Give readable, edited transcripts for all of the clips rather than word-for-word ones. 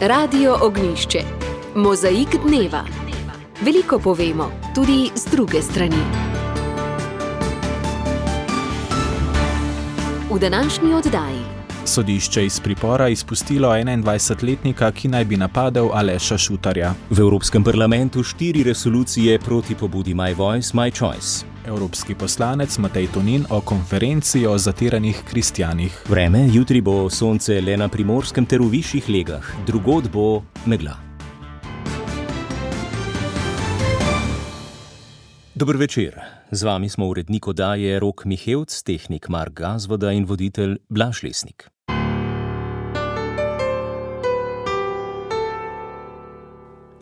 Radio Ognjišče. Mozaik dneva. Veliko povemo, tudi z druge strani. V današnji oddaji. Sodišče iz pripora izpustilo 21-letnika, ki naj bi napadel Aleša Šutarja. V Evropskem parlamentu 4 resolucije proti pobudi My Voice, My Choice. Evropski poslanec Matej Tonin o konferenci o zatiranih kristjanih. Vreme, jutri bo sonce le na Primorskem ter v višjih legah, drugod bo megla. Dober večer. Z vami smo urednik oddaje Rok Mihevc, tehnik Mark Gazvoda in voditelj Blaž Lesnik.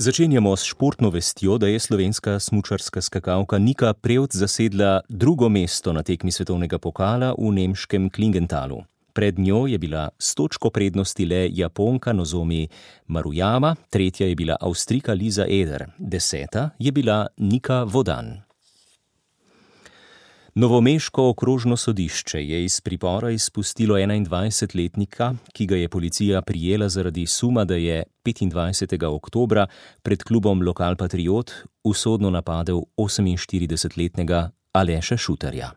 Začenjamo s športno vestjo, da je slovenska smučarska skakalka Nika Prevc zasedla drugo mesto na tekmi svetovnega pokala v nemškem Klingenthalu. Pred njo je bila s točko prednosti le Japonka Nozomi Maruyama, tretja je bila Avstrijka Lisa Eder, 10. je bila Nika Vodan. Novomeško okrožno sodišče je iz pripora izpustilo 21-letnika, ki ga je policija prijela zaradi suma, da je 25. oktobra pred klubom Lokal Patriot usodno napadel 48-letnega Aleša Šutarja.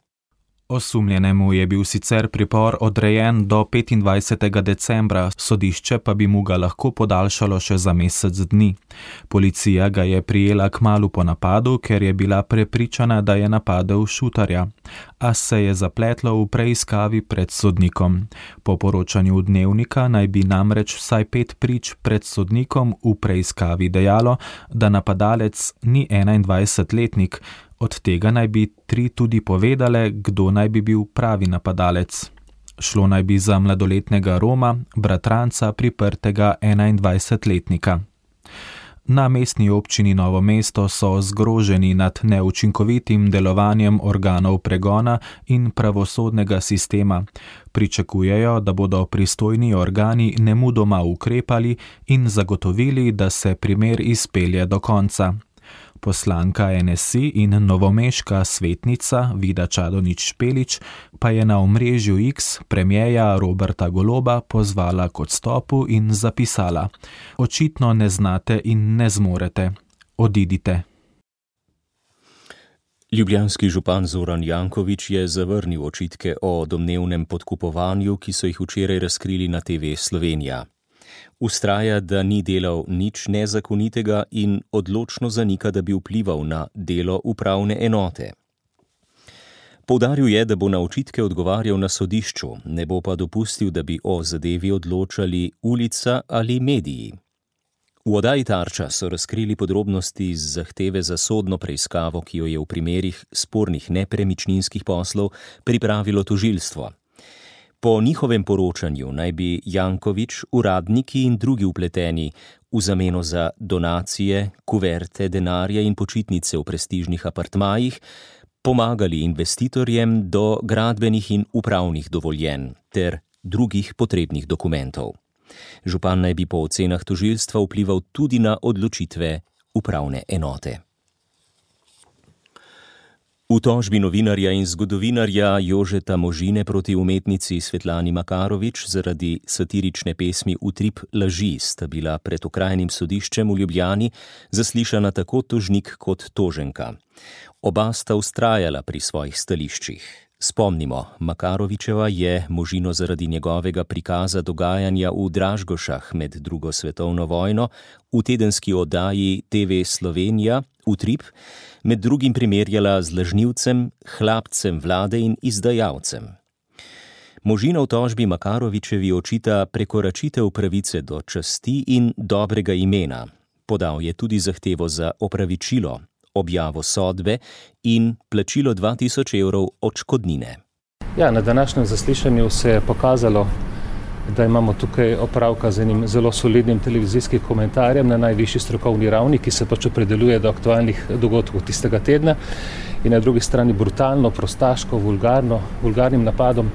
Osumljenemu je bil sicer pripor odrejen do 25. decembra, sodišče pa bi mu ga lahko podaljšalo še za mesec dni. Policija ga je prijela kmalu po napadu, ker je bila prepričana, da je napadel Šutarja, a se je zapletlo v preiskavi pred sodnikom. Po poročanju Dnevnika naj bi namreč vsaj 5 prič pred sodnikom v preiskavi dejalo, da napadalec ni 21-letnik, od tega naj bi 3 tudi povedale, kdo naj bi bil pravi napadalec. Šlo naj bi za mladoletnega Roma, bratranca priprtega 21-letnika. Na mestni občini Novo mesto so zgroženi nad neučinkovitim delovanjem organov pregona in pravosodnega sistema. Pričakujejo, da bodo pristojni organi nemudoma ukrepali in zagotovili, da se primer izpelje do konca. Poslanka NSI in novomeška svetnica Vida Čadonič-Špelič pa je na omrežju X premierja Roberta Goloba pozvala k odstopu in zapisala: "Očitno ne znate in ne zmorete. Odidite." Ljubljanski župan Zoran Janković je zavrnil očitke o domnevnem podkupovanju, ki so jih včeraj razkrili na TV Slovenija. Vztraja, da ni delal nič nezakonitega in odločno zanika, da bi vplival na delo upravne enote. Poudaril je, da bo na očitke odgovarjal na sodišču, ne bo pa dopustil, da bi o zadevi odločali ulica ali mediji. V oddaji Tarča so razkrili podrobnosti iz zahteve za sodno preiskavo, ki jo je v primerih spornih nepremičninskih poslov pripravilo tožilstvo. Po njihovem poročanju naj bi Janković, uradniki in drugi vpleteni v zameno za donacije, kuverte, denarja in počitnice v prestižnih apartmajih pomagali investitorjem do gradbenih in upravnih dovoljenj ter drugih potrebnih dokumentov. Župan naj bi po ocenah tožilstva vplival tudi na odločitve upravne enote. V tožbi novinarja in zgodovinarja Jožeta Možine proti umetnici Svetlani Makarovič zaradi satirične pesmi Utrip laži sta bila pred okrajnim sodiščem v Ljubljani zaslišana tako tožnik kot toženka. Oba sta vztrajala pri svojih stališčih. Spomnimo, Makarovičeva je Možino zaradi njegovega prikaza dogajanja v Dražgošah med drugo svetovno vojno v tedenski oddaji TV Slovenija Utrip med drugim primerjala z lažnivcem, hlapcem vlade in izdajalcem. Možina v tožbi Makarovičevi očita prekoračitev pravice do časti in dobrega imena. Podal je tudi zahtevo za opravičilo, objavo sodbe in plačilo 2000 evrov odškodnine. Ja, na današnjem zaslišanju se je pokazalo, da imamo tukaj opravka z enim zelo solidnim televizijskim komentarjem na najvišji strokovni ravni, ki se pač opredeljuje do aktualnih dogodkov tistega tedna, in na drugi strani brutalno, prostaško, vulgarnim napadom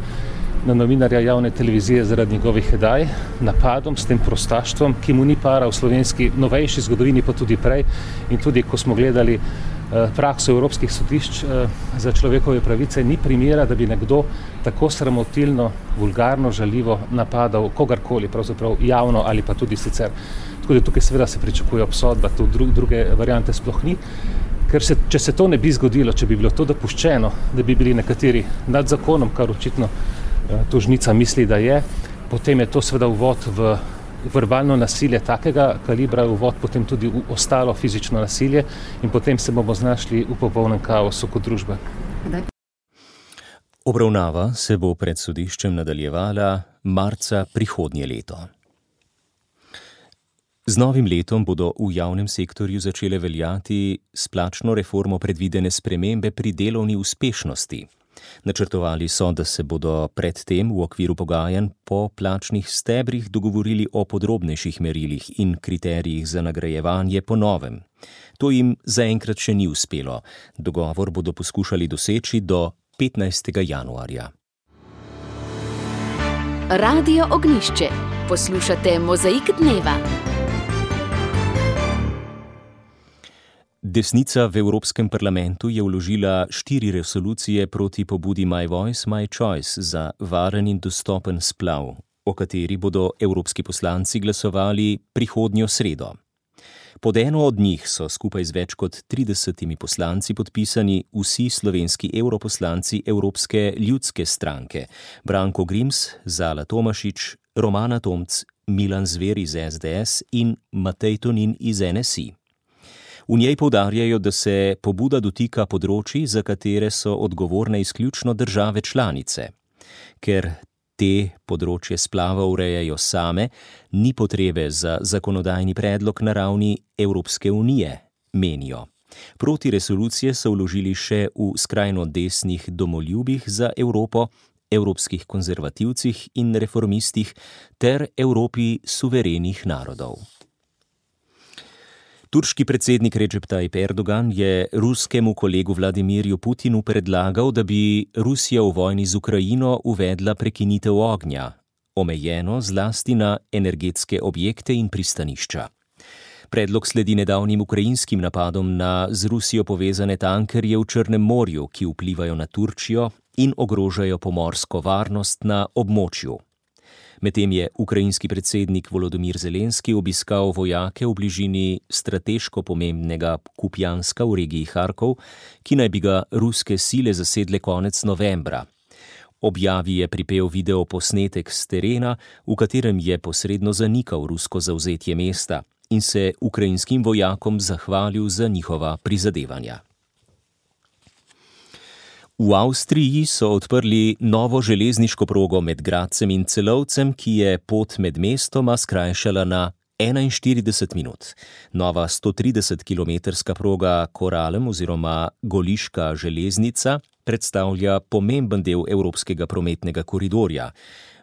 na novinarja javne televizije zaradi njegovih oddaj, napadom s tem prostaštvom, ki mu ni para v slovenski novejši zgodovini, pa tudi prej. In tudi, ko smo gledali prakso evropskih sodišč za človekove pravice, ni primera, da bi nekdo tako sramotilno, vulgarno, žaljivo napadal kogarkoli, pravzaprav javno ali pa tudi sicer. Tako da tukaj seveda se pričakuje obsodba, tu druge variante sploh ni. Ker če se to ne bi zgodilo, če bi bilo to dopuščeno, da bi bili nekateri nad zakonom, kar očitno tožnica misli, da je, potem je to seveda uvod v verbalno nasilje takega kalibra, uvod potem tudi v ostalo fizično nasilje in potem se bomo znašli v popolnem kaosu kot družba. Obravnava se bo pred sodiščem nadaljevala marca prihodnje leto. Z novim letom bodo v javnem sektorju začele veljati s plačno reformo predvidene spremembe pri delovni uspešnosti. Načrtovali so, da se bodo predtem v okviru pogajanj po plačnih stebrih dogovorili o podrobnejših merilih in kriterijih za nagrajevanje po novem. To jim zaenkrat še ni uspelo. Dogovor bodo poskušali doseči do 15. januarja. Radio Ognjišče. Poslušate Mozaik dneva. Desnica v Evropskem parlamentu je vložila 4 resolucije proti pobudi My Voice, My Choice za varen in dostopen splav, o kateri bodo evropski poslanci glasovali prihodnjo sredo. Pod eno od njih so skupaj z več kot 30 poslanci podpisani vsi slovenski europoslanci Evropske ljudske stranke: Branko Grims, Zala Tomašič, Romana Tomc, Milan Zver iz SDS in Matej Tonin iz NSI. V njej poudarjajo, da se pobuda dotika področij, za katere so odgovorne izključno države članice. Ker te področje splava urejajo same, ni potrebe za zakonodajni predlog na ravni Evropske unije, menijo. Proti resolucije so vložili še v skrajno desnih Domoljubih za Evropo, Evropskih konzervativcih in reformistih ter Evropi suverenih narodov. Turški predsednik Recep Tayyip Erdogan je ruskemu kolegu Vladimirju Putinu predlagal, da bi Rusija v vojni z Ukrajino uvedla prekinitev ognja, omejeno zlasti na energetske objekte in pristanišča. Predlog sledi nedavnim ukrajinskim napadom na z Rusijo povezane tankerje v Črnem morju, ki vplivajo na Turčijo in ogrožajo pomorsko varnost na območju. Medtem je ukrajinski predsednik Volodymyr Zelenski obiskal vojake v bližini strateško pomembnega Kupjanska v regiji Harkov, ki naj bi ga ruske sile zasedle konec novembra. Objavi je pripel video posnetek s terena, v katerem je posredno zanikal rusko zavzetje mesta in se ukrajinskim vojakom zahvalil za njihova prizadevanja. V Avstriji so odprli novo železniško progo med Gradcem in Celovcem, ki je pot med mestoma skrajšala na 41 minut. Nova 130-kilometrska proga Koralem oziroma Goliška železnica predstavlja pomemben del evropskega prometnega koridorja.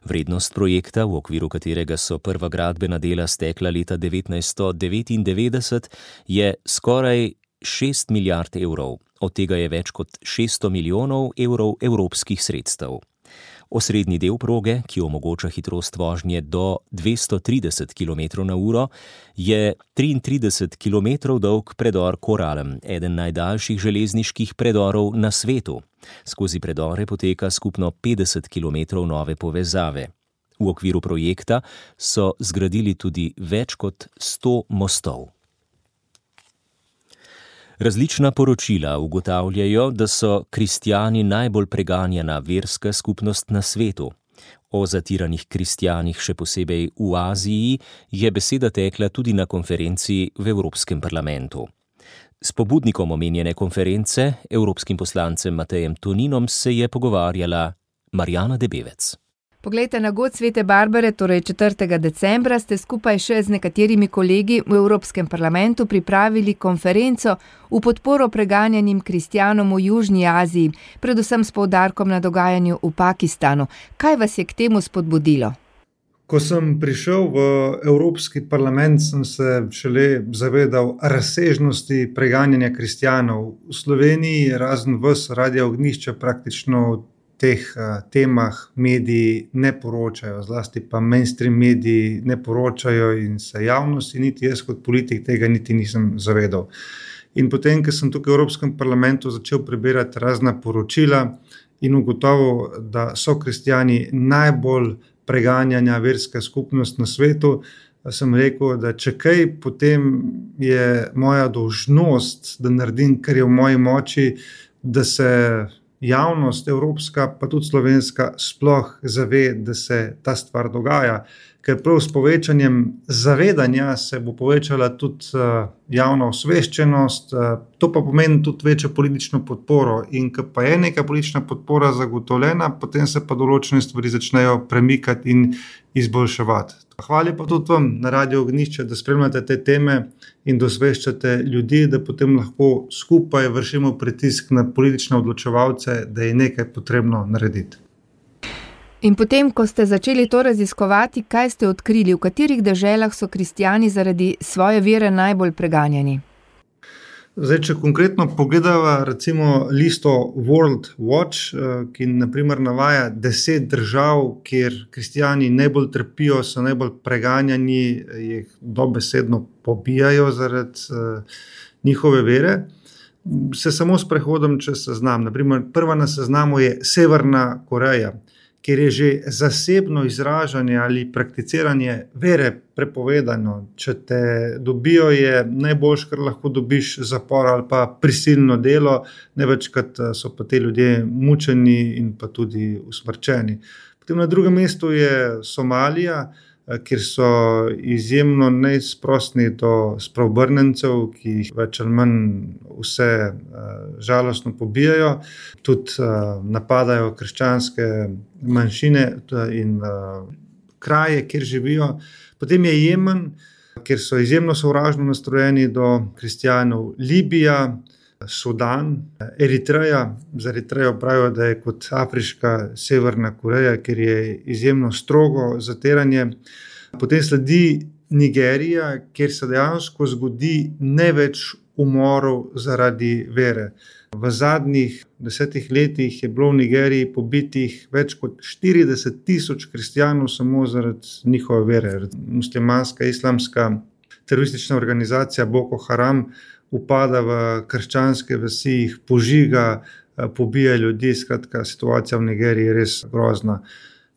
Vrednost projekta, v okviru katerega so prva gradbena dela stekla leta 1999, je skoraj 6 milijard evrov. Od tega je več kot 600 milijonov evrov evropskih sredstev. Osrednji del proge, ki omogoča hitrost vožnje do 230 km/h, je 33 km dolg predor Koralem, eden najdaljših železniških predorov na svetu. Skozi predore poteka skupno 50 km nove povezave. V okviru projekta so zgradili tudi več kot 100 mostov. Različna poročila ugotavljajo, da so kristjani najbolj preganjana verska skupnost na svetu. O zatiranih kristjanih, še posebej v Aziji, je beseda tekla tudi na konferenci v Evropskem parlamentu. S pobudnikom omenjene konference, evropskim poslancem Matejem Toninom, se je pogovarjala Marjana Debevec. Poglejte, na god Svete Barbare, torej 4. decembra, ste skupaj še z nekaterimi kolegi v Evropskem parlamentu pripravili konferenco v podporo preganjanim kristjanom v Južni Aziji, predvsem s poudarkom na dogajanju v Pakistanu. Kaj vas je k temu spodbudilo? Ko sem prišel v Evropski parlament, sem se šele zavedal razsežnosti preganjanja kristjanov. V Sloveniji, razen vas, Radio Ognjišče, praktično teh temah mediji ne poročajo, zlasti pa mainstream mediji ne poročajo in se javnosti, niti jaz kot politik tega niti nisem zavedal. In potem, ko sem tukaj v Evropskem parlamentu začel prebirati razna poročila in ugotovil, da so kristjani najbolj preganjana verska skupnost na svetu, sem rekel, da če kaj, potem je moja dolžnost, da naredim, kar je v moji moči, da se javnost evropska, pa tudi slovenska, sploh zave, da se ta stvar dogaja. Ker prav s povečanjem zavedanja se bo povečala tudi javna osveščenost, to pa pomeni tudi večjo politično podporo. In ko pa je neka politična podpora zagotovljena, potem se pa določene stvari začnejo premikati in izboljševati. Hvala pa tudi vam na Radio Ognjišče, da spremljate te teme in da osveščate ljudi, da potem lahko skupaj vršimo pritisk na politične odločevalce, da je nekaj potrebno narediti. In potem, ko ste začeli to raziskovati, kaj ste odkrili, v katerih deželah so kristjani zaradi svoje vere najbolj preganjani? Zdaj, če konkretno pogledava recimo listo World Watch, ki naprimer navaja 10 držav, kjer kristjani najbolj trpijo, so najbolj preganjani, jih dobesedno pobijajo zaradi njihove vere, se samo s prehodom čez seznam. Naprimer, prva na seznamu je Severna Koreja, kjer je že zasebno izražanje ali prakticiranje vere prepovedano. Če te dobijo, je najboljše, kar lahko dobiš, zapor ali pa prisilno delo, največkrat so pa te ljudje mučeni in pa tudi usmrčeni. Potem na drugem mestu je Somalija, kjer so izjemno neizprostni do spreobrnencev, ki jih več ali manj vse žalostno pobijajo. Tudi napadajo krščanske manjšine in kraje, kjer živijo. Potem je Jemen, kjer so izjemno sovražno nastrojeni do kristjanov. Libija, Sudan, Eritreja. Z Eritrejo pravijo, da je kot afriška Severna Koreja, kjer je izjemno strogo zatiranje. Potem sledi Nigerija, kjer se dejansko zgodi največ umorov zaradi vere. V zadnjih 10 letih je bilo v Nigeriji pobitih več kot 40,000 kristjanov samo zaradi njihove vere. Muslimanska, islamska teroristična organizacija Boko Haram upada v krščanske vasi, jih požiga, pobija ljudi, skratka, situacija v Nigeriji je res grozna.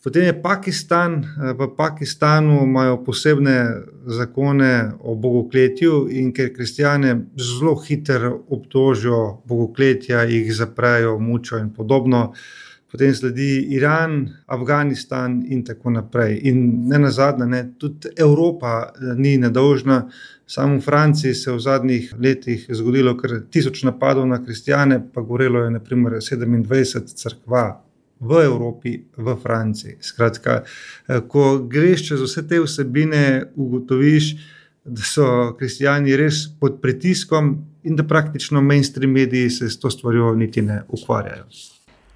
Potem je Pakistan. V Pakistanu imajo posebne zakone o bogokletju in ker kristjane zelo hitro obtožijo bogokletja, jih zaprejo, mučijo in podobno. Potem sledi Iran, Afganistan in tako naprej. In ne nazadnje, tudi Evropa ni nedolžna. Samo v Franciji se v zadnjih letih zgodilo kar 1000 napadov na kristjane, pa gorelo je na primer 27 cerkva v Evropi, v Franciji. Skratka, ko greš čez vse te vsebine, ugotoviš, da so kristjani res pod pritiskom in da praktično mainstream mediji se s to stvarjo niti ne ukvarjajo.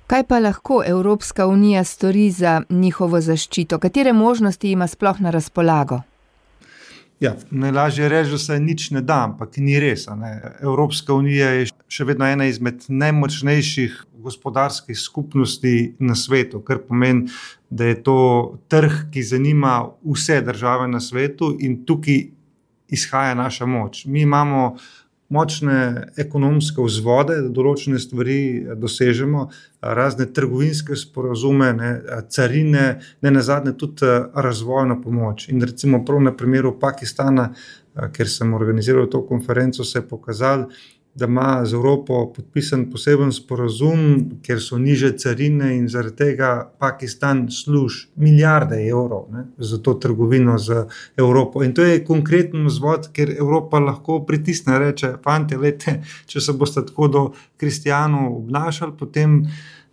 Kaj pa lahko Evropska unija stori za njihovo zaščito? Katere možnosti ima sploh na razpolago? Ja, najlažje reči, da se nič ne da, ampak ni res. Evropska unija je še vedno ena izmed najmočnejših gospodarskih skupnosti na svetu, kar pomeni, da je to trg, ki zanima vse države na svetu in tukaj izhaja naša moč. Mi imamo močne ekonomske vzvode, da določene stvari dosežemo, razne trgovinske sporazume, carine, ne nazadnje tudi razvojno pomoč. In recimo prav na primeru Pakistana, kjer sem organiziral to konferenco, se je pokazalo, da ima z Evropo podpisan poseben sporazum, kjer so niže carine in zaradi tega Pakistan služi milijarde evrov za to trgovino z Evropo. In to je konkreten vzvod, ker Evropa lahko pritisne, reče, fantje, lejte, če se boste tako do kristjanov obnašali, potem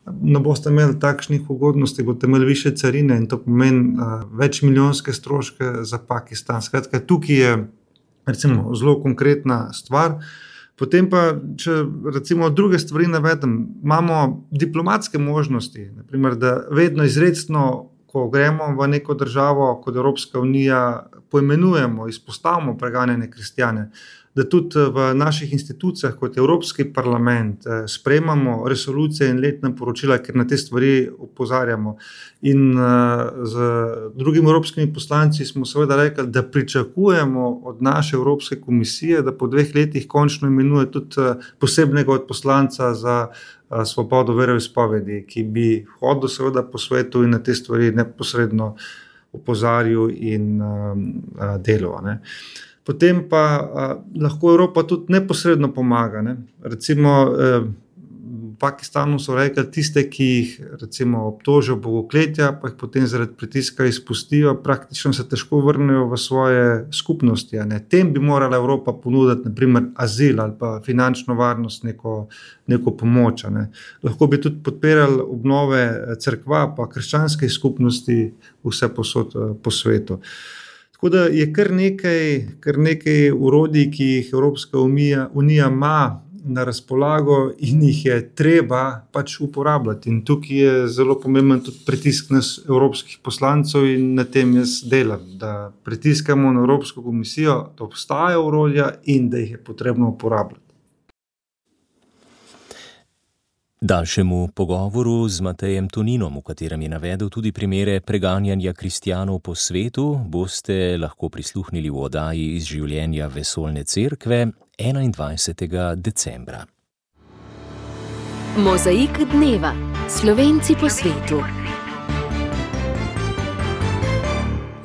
ne boste imeli takšnih ugodnosti, boste imeli više carine in to pomeni več milijonske stroške za Pakistan. Skratka, tukaj je recimo zelo konkretna stvar. Potem pa, če recimo druge stvari navedem, imamo diplomatske možnosti, naprimer, da vedno izrecno, ko gremo v neko državo kot Evropska unija, poimenujemo, izpostavimo preganjene kristjane, da tudi v naših institucijah, kot Evropski parlament, sprejemamo resolucije in letna poročila, ker na te stvari opozarjamo. In z drugimi evropskimi poslanci smo seveda rekli, da pričakujemo od naše Evropske komisije, da po 2 letih končno imenuje tudi posebnega odposlanca za svobodo veroizpovedi, ki bi hodil seveda po svetu in na te stvari neposredno opozarjal in delal. Potem pa lahko Evropa tudi neposredno pomaga. Recimo v Pakistanu so rekli, tiste, ki jih recimo obtožijo bogokletja, pa jih potem zaradi pritiska izpustijo, praktično se težko vrnejo v svoje skupnosti. Tem bi morala Evropa ponuditi na primer azil ali pa finančno varnost, neko pomoč. Lahko bi tudi podpirali obnove cerkva pa krščanske skupnosti vse posod po svetu. Tako da je kar nekaj orodij, ki jih Evropska unija ima na razpolago in jih je treba pač uporabljati. In tukaj je zelo pomemben tudi pritisk nas evropskih poslancev in na tem jaz delam, da pritiskamo na Evropsko komisijo, da obstajajo orodja in da jih je potrebno uporabljati. Daljšemu pogovoru z Matejem Toninom, v katerem je navedel tudi primere preganjanja kristjanov po svetu, boste lahko prisluhnili v oddaji iz življenja Vesoljne cerkve 21. decembra. Mozaik dneva. Slovenci po svetu.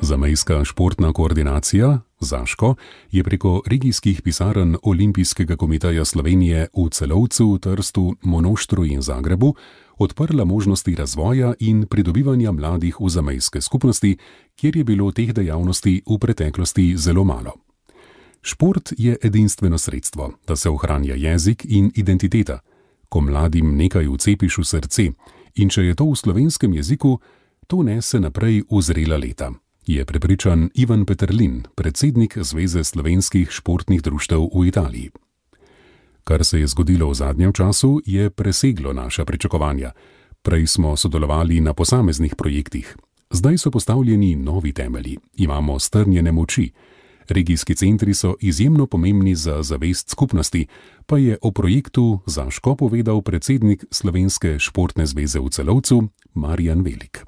Zamejska športna koordinacija Zaško je preko regijskih pisarn Olimpijskega komiteja Slovenije v Celovcu, Trstu, Monoštru in Zagrebu odprla možnosti razvoja in pridobivanja mladih v zamejske skupnosti, kjer je bilo teh dejavnosti v preteklosti zelo malo. Šport je edinstveno sredstvo, da se ohranja jezik in identiteta. Ko mladim nekaj vcepiš v srce in če je to v slovenskem jeziku, to nese naprej v zrela leta, je prepričan Ivan Peterlin, predsednik Zveze slovenskih športnih društev v Italiji. Kar se je zgodilo v zadnjem času, je preseglo naša pričakovanja. Prej smo sodelovali na posameznih projektih. Zdaj so postavljeni novi temelji, imamo strnjene moči. Regijski centri so izjemno pomembni za zavest skupnosti, pa je o projektu Zaško povedal predsednik Slovenske športne zveze v Celovcu Marjan Velik.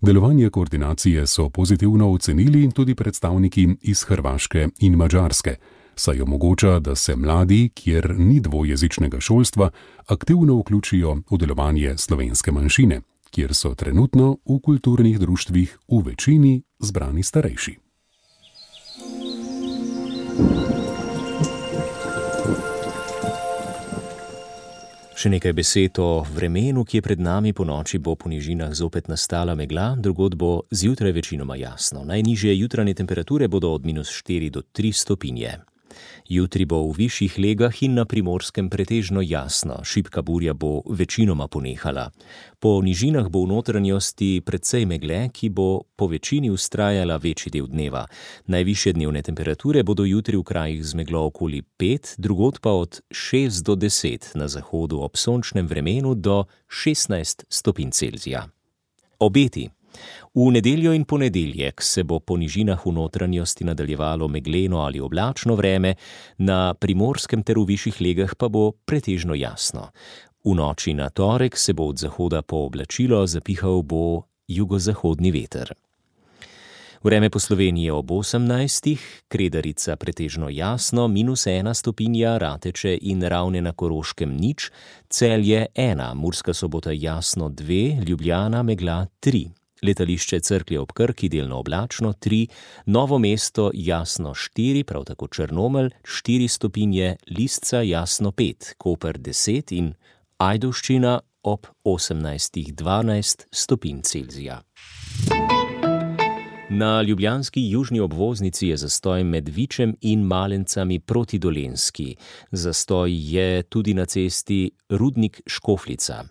Delovanje koordinacije so pozitivno ocenili tudi predstavniki iz Hrvaške in Madžarske, saj omogoča, da se mladi, kjer ni dvojezičnega šolstva, aktivno vključijo v delovanje slovenske manjšine, kjer so trenutno v kulturnih društvih v večini zbrani starejši. Še nekaj besed o vremenu, ki je pred nami. Po noči bo po nižinah zopet nastala megla, drugod bo zjutraj večinoma jasno. Najnižje jutranje temperature bodo od -4 do 3 stopinje. Jutri bo v višjih legah in na Primorskem pretežno jasno, šibka burja bo večinoma ponehala. Po nižinah bo v notranjosti precej megle, ki bo po večini vztrajala večji del dneva. Najvišje dnevne temperature bodo jutri v krajih z meglo okoli 5, drugod pa od 6 do 10, na zahodu ob sončnem vremenu do 16 stopinj Celzija. Obeti. V nedeljo in ponedeljek se bo po nižinah v notranjosti nadaljevalo megleno ali oblačno vreme, na Primorskem ter v višjih legah pa bo pretežno jasno. V noči na torek se bo od zahoda pooblačilo, zapihal bo jugozahodni veter. Vreme po Sloveniji ob 18, Kredarica pretežno jasno, -1 stopinja, Rateče in Ravne na Koroškem 0, Celje 1, Murska Sobota jasno 2, Ljubljana megla 3. Letališče Cerklje ob Krki delno oblačno 3, Novo mesto jasno 4, prav tako Črnomelj 4 stopinje, Lisca jasno 5, Koper 10 in Ajdovščina ob 18-12 stopinj Celzija. Na ljubljanski južni obvoznici je zastoj med Vičem in Malencami proti Dolenjski. Zastoj je tudi na cesti Rudnik-Škofljica.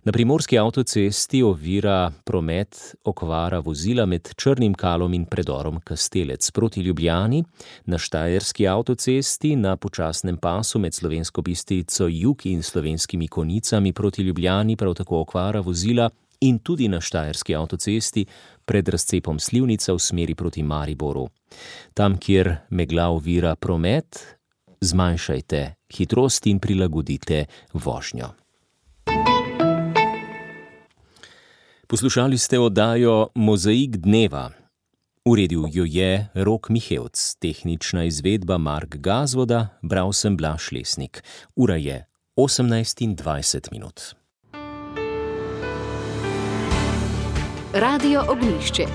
Na primorski avtocesti ovira promet okvara vozila med Črnim Kalom in predorom Kastelec proti Ljubljani, na štajerski avtocesti na počasnem pasu med Slovensko Bistrico jug in Slovenskimi Konicami proti Ljubljani prav tako okvara vozila in tudi na štajerski avtocesti pred razcepom Slivnica v smeri proti Mariboru. Tam, kjer megla ovira promet, zmanjšajte hitrost in prilagodite vožnjo. Poslušali ste oddajo Mozaik dneva. Uredil jo je Rok Mihevc, tehnična izvedba Mark Gazvoda, bral sem Blaž Lesnik. Ura je 18:20. Radio Ognjišče.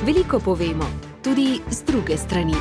Veliko povemo, tudi z druge strani.